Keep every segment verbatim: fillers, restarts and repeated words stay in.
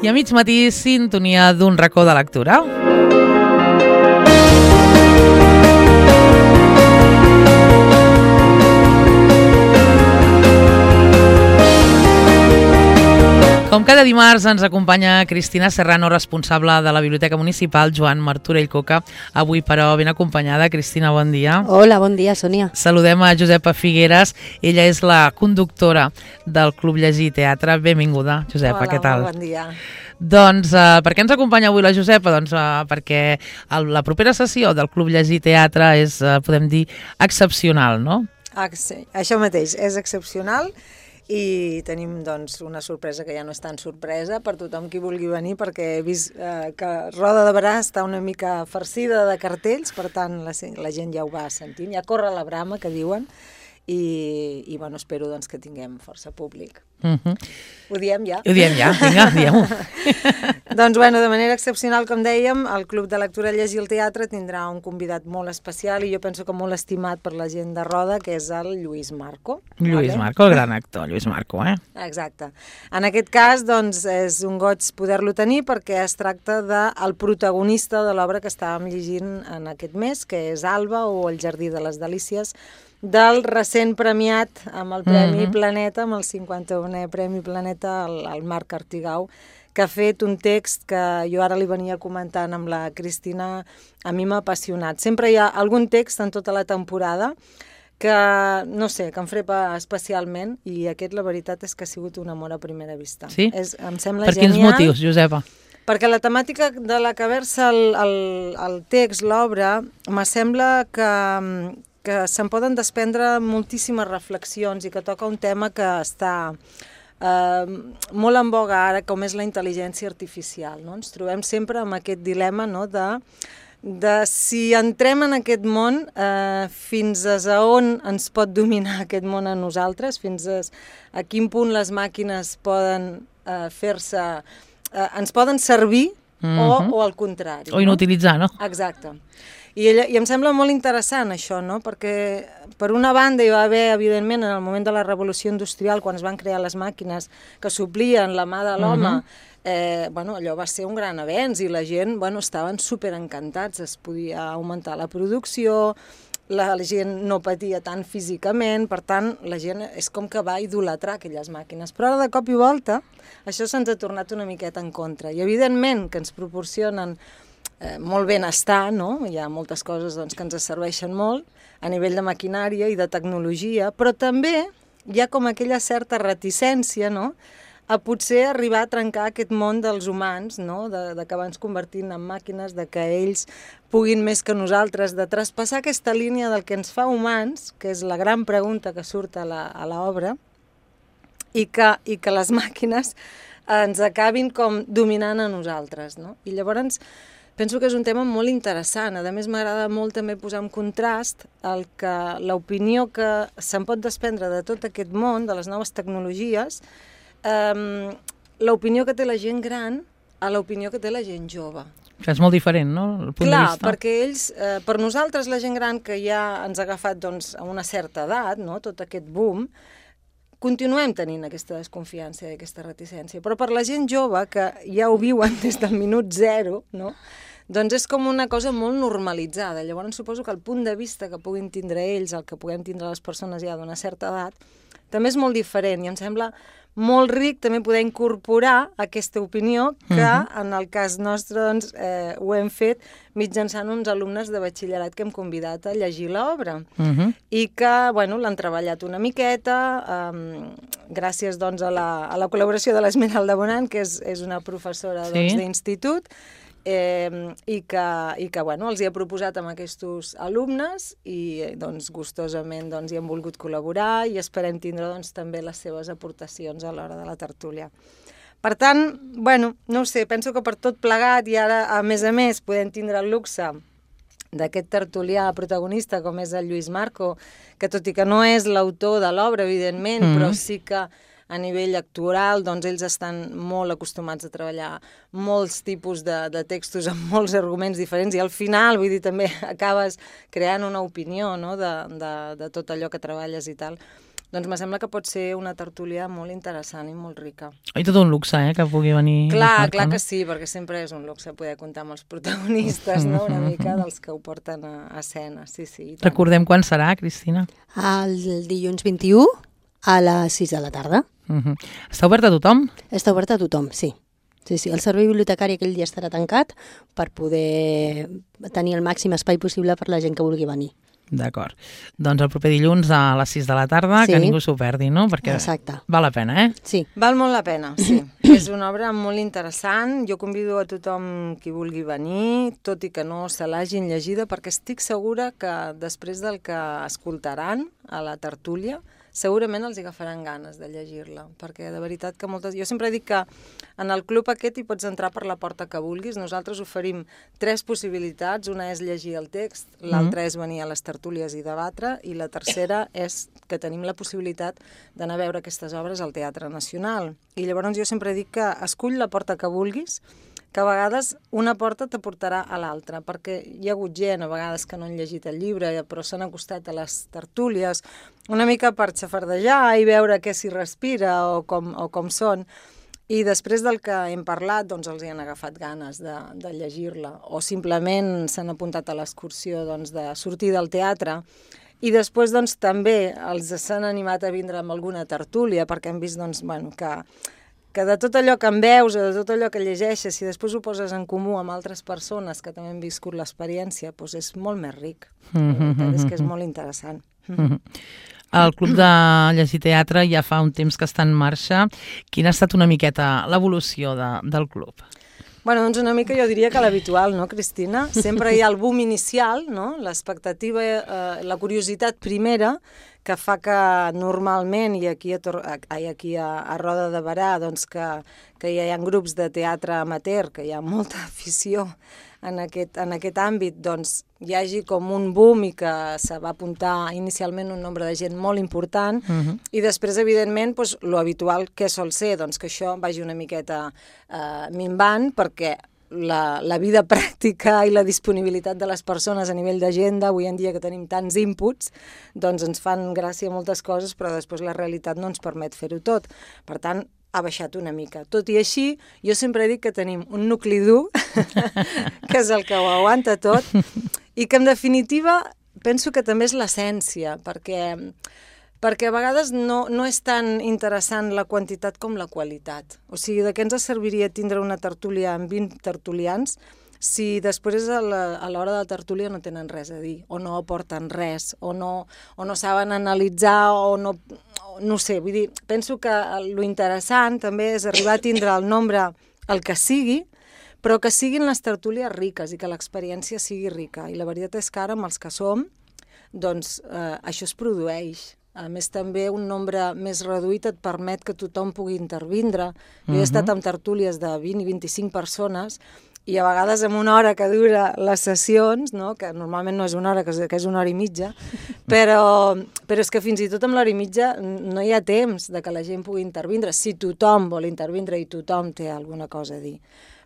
I a mig matí, sintonia d'un racó de lectura. Com cada dimarts ens acompanya Cristina Serrano, responsable de la Biblioteca Municipal Joan Martorell Coca. Avui, però, ben acompanyada. Cristina, bon dia. Hola, bon dia, Sònia. Saludem a Josepa Figueres. Ella és la conductora del Club Llegir Teatre. Benvinguda, Josepa, Hola, què tal? Hola, bon dia. Doncs uh, per què ens acompanya avui la Josepa? Doncs uh, perquè el, la propera sessió del Club Llegir Teatre és, uh, podem dir, excepcional, no? Ah, sí, això mateix, és excepcional. I tenim doncs, una sorpresa que ja no és tan sorpresa per tothom qui vulgui venir, perquè he vist eh, que Roda de Berà està una mica farcida de cartells, per tant la, la gent ja ho va sentint, ja corre la brama, que diuen, i, i bueno, espero doncs, que tinguem força públic. Uh-huh. Ho diem ja? Ho diem ja, vinga, diem-ho. Doncs bueno, de manera excepcional, com dèiem, el Club de Lectura Llegir el Teatre tindrà un convidat molt especial i jo penso que molt estimat per la gent de Roda, que és el Lluís Marco. Lluís vale? Marco, el gran actor, Lluís Marco, eh? Exacte. En aquest cas, doncs, és un goig poder-lo tenir perquè es tracta del protagonista de l'obra que estàvem llegint en aquest mes, que és Alba o El Jardí de les Delícies, del recent premiat amb el Premi mm-hmm. Planeta, amb el cinquanta-unè Premi Planeta, el, el Marc Artigau, que ha fet un text que jo ara li venia comentant amb la Cristina, a mi m'ha apassionat. Sempre hi ha algun text en tota la temporada que, no sé, que em frepa especialment, i aquest, la veritat, és que ha sigut un amor a primera vista. Sí? És, em sembla per genial. quins motius, Josepa? Perquè la temàtica de la que versa el, el, el text, l'obra, m'assembla que, que se'n poden desprendre moltíssimes reflexions i que toca un tema que està eh, molt en boga ara, com és la intel·ligència artificial. No? Ens trobem sempre amb aquest dilema, no? de, de si entrem en aquest món, eh, fins a on ens pot dominar aquest món a nosaltres, fins a, a quin punt les màquines poden eh, fer-se, eh, ens poden servir mm-hmm. o, o al contrari. O inutilitzar, no? no? Exacte. I, ella, I em sembla molt interessant això, no? Perquè per una banda hi va haver, evidentment, en el moment de la revolució industrial, quan es van crear les màquines que suplien la mà de l'home, uh-huh. eh, bueno, allò va ser un gran avenç i la gent bueno, estaven superencantats, es podia augmentar la producció, la, la gent no patia tant físicament, per tant, la gent és com que va idolatrar aquelles màquines. Però ara, de cop i volta, això se'ns ha tornat una miqueta en contra. I, evidentment, que ens proporcionen Eh, molt benestar, no? Hi ha moltes coses doncs, que ens serveixen molt a nivell de maquinària i de tecnologia, però també hi ha com aquella certa reticència, no? A potser arribar a trencar aquest món dels humans, no? de, de que abans convertint en màquines, de que ells puguin més que nosaltres, de traspassar aquesta línia del que ens fa humans, que és la gran pregunta que surt a l'obra, i, que, i que les màquines ens acabin com dominant a nosaltres. No? I llavors penso que és un tema molt interessant. A més, m'agrada molt també posar en contrast el que l'opinió que se'n pot desprendre de tot aquest món, de les noves tecnologies, eh, l'opinió que té la gent gran a l'opinió que té la gent jove. És molt diferent, no? El punt Clar, de vista. perquè ells, eh, per nosaltres, la gent gran que ja ens ha agafat doncs, a una certa edat, no? Tot aquest boom, continuem tenint aquesta desconfiança i aquesta reticència. Però per la gent jove, que ja ho viuen des del minut zero, no? Doncs és com una cosa molt normalitzada. Llavors suposo que el punt de vista que puguin tindre ells, el que puguem tindre les persones ja d'una certa edat, també és molt diferent i em sembla molt ric també poder incorporar aquesta opinió que uh-huh. en el cas nostre doncs, eh, ho hem fet mitjançant uns alumnes de batxillerat que hem convidat a llegir l'obra uh-huh. i que bueno, l'han treballat una miqueta eh, gràcies doncs, a, la, a la col·laboració de l'Esmeralda Bonan, que és, és una professora sí. doncs, d'institut, Eh, i que, i que bueno, els hi ha proposat amb aquests alumnes i doncs, gustosament doncs, hi han volgut col·laborar i esperem tindre doncs, també les seves aportacions a l'hora de la tertúlia. Per tant, bueno, no ho sé, penso que per tot plegat i ara, a més a més, podem tindre el luxe d'aquest tertulià protagonista com és el Lluís Marco, que tot i que no és l'autor de l'obra, evidentment, mm. però sí que a nivell actoral, doncs ells estan molt acostumats a treballar molts tipus de, de textos amb molts arguments diferents i al final, vull dir, també acabes creant una opinió no? de, de, de tot allò que treballes i tal. doncs me sembla que pot ser una tertúlia molt interessant i molt rica. I tot un luxe, eh, que pugui venir... Clar, clar que sí, perquè sempre és un luxe poder comptar amb els protagonistes, no?, una mica dels que ho porten a, a escena, sí, sí. Recordem quan serà, Cristina? El dilluns vint-i-u a les sis de la tarda. Uh-huh. Està obert a tothom? Està obert a tothom, sí. Sí, sí, el servei bibliotecari aquell dia estarà tancat per poder tenir el màxim espai possible per la gent que vulgui venir. D'acord. Doncs el proper dilluns a les sis de la tarda, sí. Que ningú s'ho perdi, no? Perquè exacte. Val la pena, eh? Sí. Val molt la pena, sí. És una obra molt interessant. Jo convido a tothom qui vulgui venir, tot i que no se l'hagin llegida, perquè estic segura que després del que escoltaran a la tertúlia, segurament els agafaran ganes de llegir-la, perquè de veritat que moltes... Jo sempre dic que en el club aquest hi pots entrar per la porta que vulguis. Nosaltres oferim tres possibilitats. Una és llegir el text, l'altra mm. és venir a les tertúlies i debatre, i la tercera és que tenim la possibilitat d'anar a veure aquestes obres al Teatre Nacional. I llavors jo sempre dic que escull la porta que vulguis, que a vegades una porta t'aportarà a l'altra, perquè hi ha hagut gent a vegades que no han llegit el llibre, però s'han acostat a les tertúlies una mica per xafardejar i veure què s'hi respira o com, o com són, i després del que hem parlat doncs els hi han agafat ganes de, de llegir-la, o simplement s'han apuntat a l'excursió doncs, de sortir del teatre. I després doncs, també els s'han animat a vindre amb alguna tertúlia, perquè hem vist doncs, bueno, que que de tot allò que en veus o de tot allò que llegeixes, si després ho poses en comú amb altres persones que també han viscut l'experiència, doncs és molt més ric. Mm-hmm. És que és molt interessant. Mm-hmm. El Club de Llegir Teatre ja fa un temps que està en marxa. Quina ha estat una miqueta l'evolució de, del club? Bueno, doncs una mica jo diria que l'habitual, no, Cristina? Sempre hi ha el boom inicial, no? L'expectativa, eh, la curiositat primera, que fa que normalment, i aquí a, Tor ai, aquí a, a Roda de Berà, doncs que, que hi ha grups de teatre amateur, que hi ha molta afició en aquest, en aquest àmbit, doncs hi hagi com un boom i que se va apuntar inicialment un nombre de gent molt important, uh-huh. I després, evidentment, doncs, lo habitual que sol ser, doncs que això vagi una miqueta eh, minvant, perquè La, la vida pràctica i la disponibilitat de les persones a nivell d'agenda, avui en dia que tenim tants inputs, doncs ens fan gràcia moltes coses, però després la realitat no ens permet fer-ho tot. Per tant, ha baixat una mica. Tot i així, jo sempre dic que tenim un nucli dur, que és el que ho aguanta tot, i que en definitiva penso que també és l'essència, perquè... perquè a vegades no, no és tan interessant la quantitat com la qualitat. O sigui, de què ens serviria tindre una tertúlia amb vint tertulians si després a l'hora de la tertúlia no tenen res a dir, o no aporten res, o no, o no saben analitzar, o no... No sé, vull dir, penso que lo interessant també és arribar a tindre el nombre, el que sigui, però que siguin les tertúlies riques i que l'experiència sigui rica. I la veritat és que ara, amb els que som, doncs eh, això es produeix. A més, també un nombre més reduït et permet que tothom pugui intervindre. Jo he estat amb tertúlies de vint i vint-i-cinc persones i a vegades en una hora que dura les sessions, no? Que normalment no és una hora, que és, que és una hora i mitja, però, però és que fins i tot amb l'hora i mitja no hi ha temps de que la gent pugui intervindre, si tothom vol intervindre i tothom té alguna cosa a dir.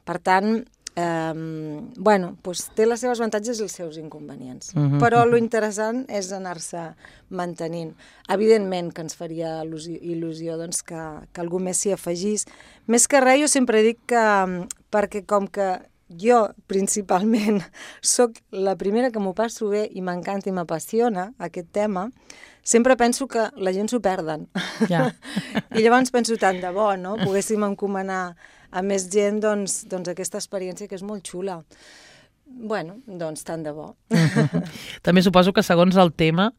Per tant, Um, bueno, doncs té les seves avantatges i els seus inconvenients. Uh-huh. Però lo interessant és anar-se mantenint. Evidentment que ens faria il·lusió doncs, que, que algú més s'hi afegís. Més que res, jo sempre dic que, perquè com que jo principalment sóc la primera que m'ho passo bé i m'encanta i m'apassiona aquest tema, sempre penso que la gent s'ho perden. Yeah. I llavors penso tant de bo, no? Poguéssim encomanar a més gent doncs, doncs aquesta experiència que és molt xula. Bueno, doncs tant de bo. Mm-hmm. També suposo que segons el tema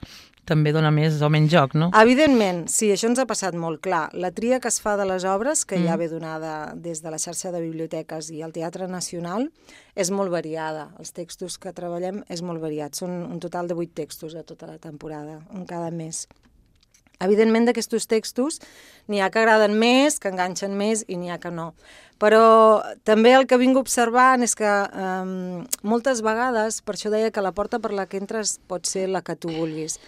també dona més o menys joc, no? Evidentment, sí, això ens ha passat molt clar. La tria que es fa de les obres, que mm. ja ve donada des de la xarxa de biblioteques i el Teatre Nacional, és molt variada. Els textos que treballem és molt variat. Són un total de vuit textos a tota la temporada, un cada mes. Evidentment, d'aquests textos n'hi ha que agraden més, que enganxen més i n'hi ha que no. Però també el que vinc observant és que eh, moltes vegades, per això deia que la porta per la que entres pot ser la que tu vulguis.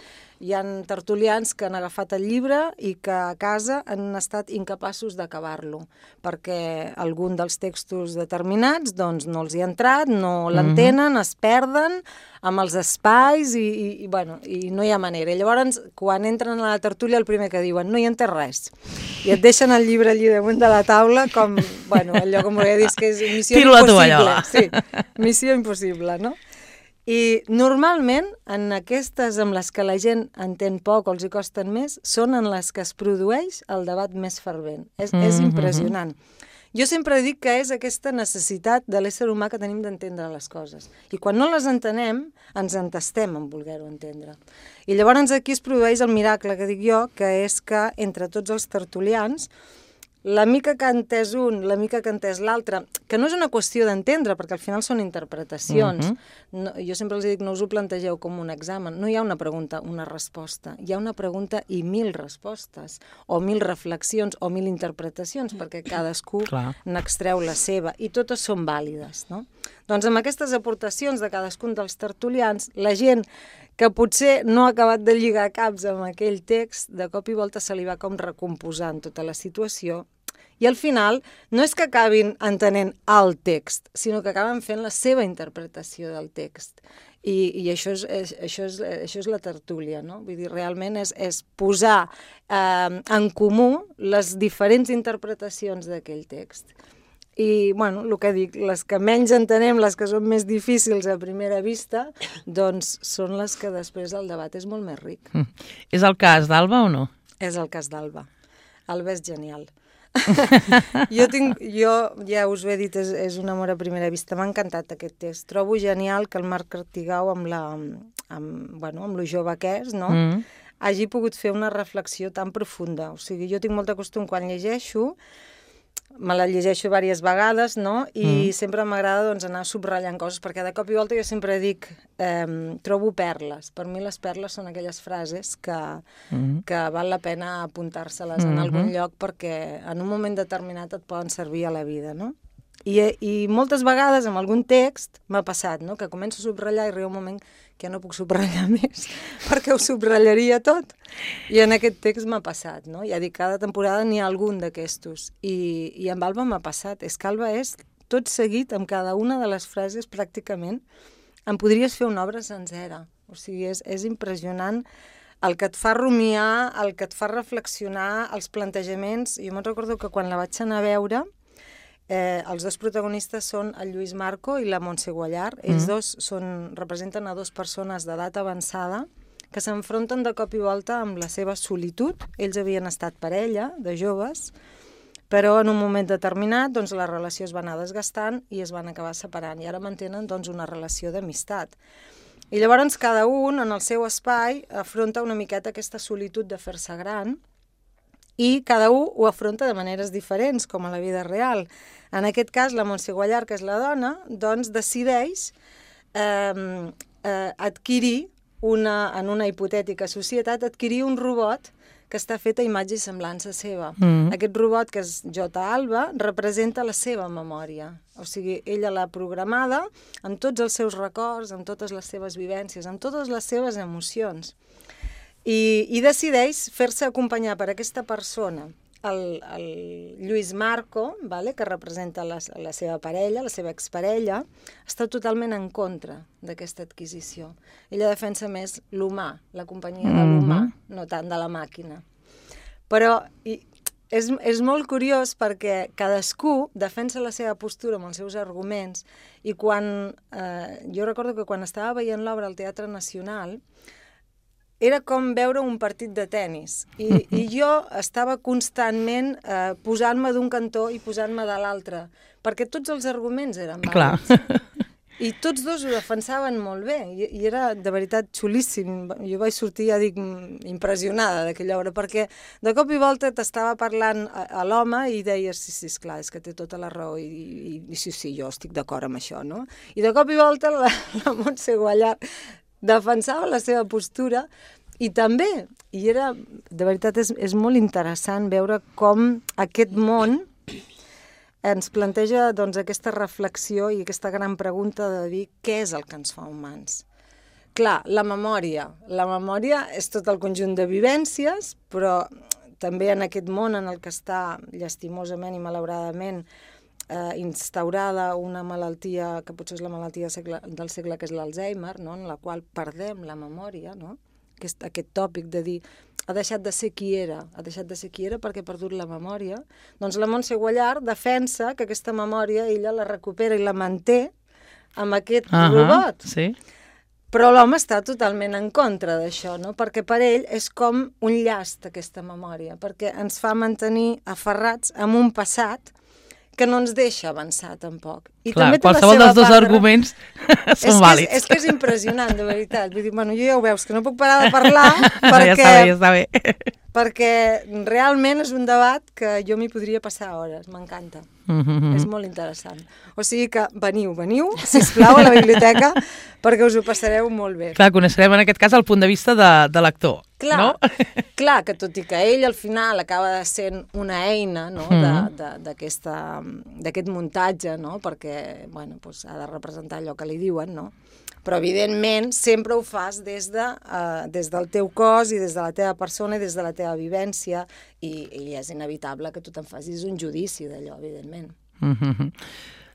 hi ha tertulians que han agafat el llibre i que a casa han estat incapaços d'acabar-lo, perquè algun dels textos determinats doncs, no els hi ha entrat, no l'entenen, es perden amb els espais i, i, i, bueno, i no hi ha manera. I llavors, quan entren a la tertúlia, el primer que diuen, no hi entès res. I et deixen el llibre allí damunt de la taula com, bueno, allò com volia dir, que és missió Tiro impossible. Sí, missió impossible, no? I normalment, en aquestes amb les que la gent entén poc o els hi costen més, són en les que es produeix el debat més fervent. És, mm-hmm. és impressionant. Jo sempre dic que és aquesta necessitat de l'ésser humà que tenim d'entendre les coses. I quan no les entenem, ens entestem en voler-ho entendre. I llavors aquí es produeix el miracle que dic jo, que és que entre tots els tertulians, la mica que ha entès un, la mica que ha entès l'altre, que no és una qüestió d'entendre, perquè al final són interpretacions. Mm-hmm. No, jo sempre els dic, no us ho plantegeu com un examen. No hi ha una pregunta, una resposta. Hi ha una pregunta i mil respostes, o mil reflexions, o mil interpretacions, perquè cadascú n'extreu la seva, i totes són vàlides, no? Doncs amb aquestes aportacions de cadascun dels tertulians, la gent que potser no ha acabat de lligar caps amb aquell text, de cop i volta se li va com recomposant tota la situació, i al final no és que acabin entenent el text, sinó que acaben fent la seva interpretació del text. I, i això, és, és, això, és, això és la tertúlia, no? Vull dir, realment és, és posar eh, en comú les diferents interpretacions d'aquell text. I, bueno, el que dic, les que menys entenem, les que són més difícils a primera vista, doncs són les que després el debat és molt més ric. Mm. És el cas d'Alba o no? És el cas d'Alba. Alba és genial. jo, tinc, jo ja us ho he dit, és, és un amor a primera vista. M'ha encantat aquest text. Trobo genial que el Marc Artigau, amb, la, amb, bueno, amb lo jove que és, no? Mm. hagi pogut fer una reflexió tan profunda. O sigui, jo tinc molt de costum quan llegeixo, me la llegeixo diverses vegades, no? I mm. sempre m'agrada doncs, anar subratllant coses, perquè de cop i volta jo sempre dic, eh, trobo perles. Per mi les perles són aquelles frases que, mm. que val la pena apuntar-se-les mm-hmm. en algun lloc, perquè en un moment determinat et poden servir a la vida, no? I, i moltes vegades amb algun text m'ha passat, no? Que començo a subratllar i arriba un moment que no puc subratllar més, perquè ho subrallaria tot. I en aquest text m'ha passat, no? Ja dic, cada temporada n'hi ha algun d'aquestos. I, I amb Alba m'ha passat. És que Alba és tot seguit, amb cada una de les frases, pràcticament, em podries fer una obra sencera. O sigui, és, és impressionant el que et fa rumiar, el que et fa reflexionar, els plantejaments. Jo me'n recordo que quan la vaig anar a veure, Eh, els dos protagonistes són el Lluís Marco i la Montse Guallar. Ells mm. dos són, representen a dues persones d'edat avançada que s'enfronten de cop i volta amb la seva solitud. Ells havien estat parella, de joves, però en un moment determinat doncs, la relació es va anar desgastant i es van acabar separant. I ara mantenen doncs, una relació d'amistat. I llavors cada un, en el seu espai, afronta una miqueta aquesta solitud de fer-se gran, i cada un ho afronta de maneres diferents, com a la vida real. En aquest cas, la Montse Guallar, que és la dona, doncs decideix eh, eh, adquirir, una, en una hipotètica societat, adquirir un robot que està fet a imatge i semblança seva. Mm. Aquest robot, que és J. Alba, representa la seva memòria. O sigui, ella l'ha programada amb tots els seus records, amb totes les seves vivències, amb totes les seves emocions. I, i decideix fer-se acompanyar per aquesta persona, el, el Lluís Marco, vale, que representa la, la seva parella, la seva exparella, està totalment en contra d'aquesta adquisició. Ella defensa més l'humà, la companyia de l'humà, mm-hmm. no tant de la màquina. Però i, és, és molt curiós perquè cadascú defensa la seva postura amb els seus arguments i quan, eh, jo recordo que quan estava veient l'obra al Teatre Nacional, era com veure un partit de tennis. I, i jo estava constantment eh, posant-me d'un cantó i posant-me de l'altre, perquè tots els arguments eren vàlids. I tots dos ho defensaven molt bé, i, i era de veritat xulíssim. Jo vaig sortir, ja dic, impressionada d'aquella obra, perquè de cop i volta t'estava parlant a, a l'home i deies, sí, sí, esclar, és que té tota la raó, i, i, i sí, sí, jo estic d'acord amb això, no? I de cop i volta la, la Montse Guallar defensava la seva postura i també, i era, de veritat és, és molt interessant veure com aquest món ens planteja doncs, aquesta reflexió i aquesta gran pregunta de dir què és el que ens fa humans. clar, la memòria. La memòria és tot el conjunt de vivències, però també en aquest món en el que està llastimosament i malauradament eh, instaurada una malaltia, que potser és la malaltia del segle, del segle que és l'Alzheimer, no? En la qual perdem la memòria, no? Aquest, aquest tòpic de dir ha deixat de ser qui era, ha deixat de ser qui era perquè ha perdut la memòria, doncs la Montse Guallart defensa que aquesta memòria ella la recupera i la manté amb aquest uh-huh, robot. Sí. Però l'home està totalment en contra d'això, no? Perquè per ell és com un llast aquesta memòria, perquè ens fa mantenir aferrats amb un passat que no ens deixa avançar tampoc. I clar, també qualsevol dels dos arguments són és vàlids. És, és que és impressionant, de veritat. Vull dir, bueno, jo ja ho veus, que no puc parar de parlar perquè, ja està bé, ja està bé. perquè realment és un debat que jo m'hi podria passar hores, m'encanta. Mm-hmm. És molt interessant. O sigui que veniu, veniu, sisplau, a la biblioteca, perquè us ho passareu molt bé. Clar, coneixerem en aquest cas el punt de vista de, de l'actor, clar, no? Clar, que tot i que ell al final acaba sent una eina, no?, mm. d'aquest muntatge, no?, perquè bueno, doncs ha de representar allò que li diuen, no? Però evidentment sempre ho fas des, de, uh, des del teu cos i des de la teva persona i des de la teva vivència i, i és inevitable que tu te'n facis un judici d'allò, evidentment. Mm-hmm.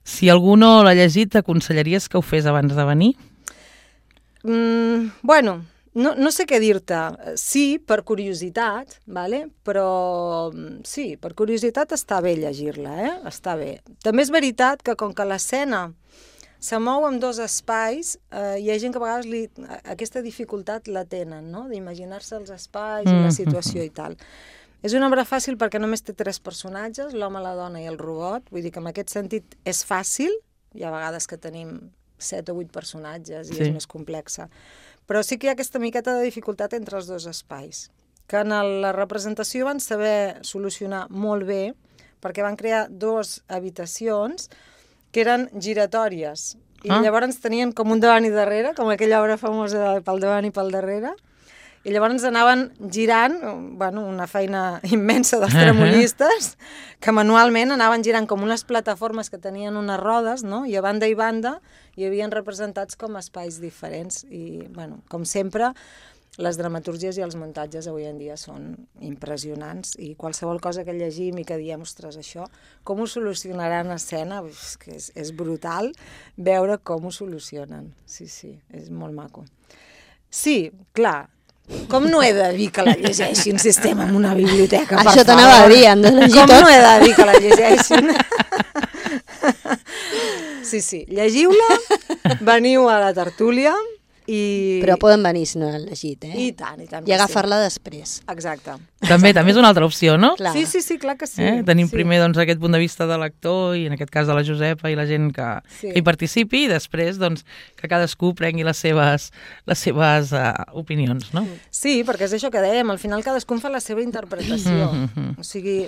Si algú no l'ha llegit, t'aconsellaries que ho fes abans de venir? Mm, bueno, no, no sé què dir-te. Sí, per curiositat, vale? Però sí, per curiositat està bé llegir-la, eh? Està bé. També és veritat que com que l'escena se mou en dos espais, eh, hi ha gent que a vegades li, aquesta dificultat la tenen, no?, d'imaginar-se els espais mm. i la situació i tal. És una obra fàcil perquè només té tres personatges, l'home, la dona i el robot, vull dir que en aquest sentit és fàcil, hi ha vegades que tenim set o vuit personatges i sí. és més complexa, però sí que hi ha aquesta miqueta de dificultat entre els dos espais, que en la representació van saber solucionar molt bé, perquè van crear dues habitacions que eren giratòries, i ah. llavors tenien com un davant i darrere, com aquella obra famosa de pel davant i pel darrere, i llavors anaven girant, bueno, una feina immensa dels tremolistes, que manualment anaven girant com unes plataformes que tenien unes rodes, no?, i a banda i banda hi havien representats com espais diferents, i, bueno, com sempre, les dramatúrgies i els muntatges avui en dia són impressionants i qualsevol cosa que llegim i que diem, ostres, això, com ho solucionaran a escena? És que és, és brutal veure com ho solucionen. Sí, sí, és molt maco. Sí, clar, com no he de dir que la llegeixin si estem en una biblioteca, per favor? Això t'anava a dir, han de llegir com tot. no he de dir que la llegeixin? Sí, sí, llegiu-la, veniu a la tertúlia, I... Però poden venir si no l'han llegit, eh? I tant, i tant. I agafar-la sí. després. Exacte. També, també és una altra opció, no? Clar. Sí, sí, sí, clar que sí. Eh? Tenim sí. primer doncs, aquest punt de vista de l'actor i en aquest cas de la Josepa i la gent que, sí. que hi participi i després doncs, que cadascú prengui les seves, les seves uh, opinions, no? Sí, perquè és això que dèiem, al final cadascú fa la seva interpretació. Mm-hmm. O sigui,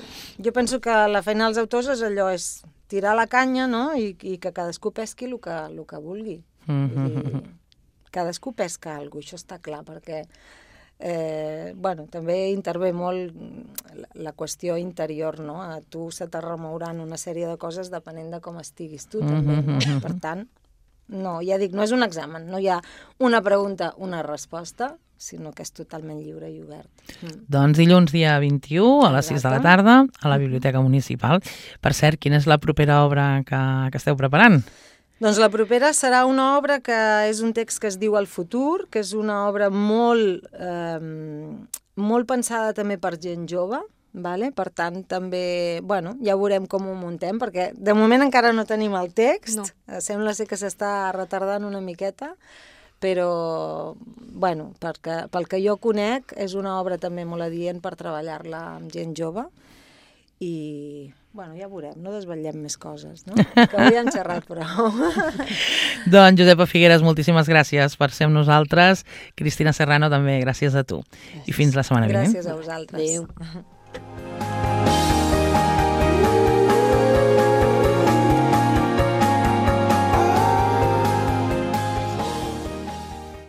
jo penso que la feina dels autors és allò, és tirar la canya, no?, i, i que cadascú pesqui el que, el que vulgui. Mm-hmm. I... cadascú pesca alguna cosa, això està clar, perquè eh, bueno, també intervé molt la, la qüestió interior, no? A tu se te remouran una sèrie de coses depenent de com estiguis tu, també, no? Per tant, no, ja dic, no és un examen, no hi ha una pregunta, una resposta, sinó que és totalment lliure i obert. Mm. Doncs dilluns dia vint-i-u a les sis de la tarda a la Biblioteca Municipal. Per cert, quina és la propera obra que, que esteu preparant? Doncs la propera serà una obra que és un text que es diu El futur, que és una obra molt, eh, molt pensada també per gent jove, vale? Per tant, també, bueno, ja veurem com ho muntem, perquè de moment encara no tenim el text, no. Sembla ser que s'està retardant una miqueta, però, bueno, perquè, pel que jo conec, és una obra també molt adient per treballar-la amb gent jove, i... bueno, ja veurem, no desvetllem més coses, no? Que avui hem xerrat prou. Doncs Josepa Figueres, moltíssimes gràcies per ser amb nosaltres. Cristina Serrano, també gràcies a tu. Gràcies. I fins la setmana vinent. Gràcies a vosaltres. Adéu.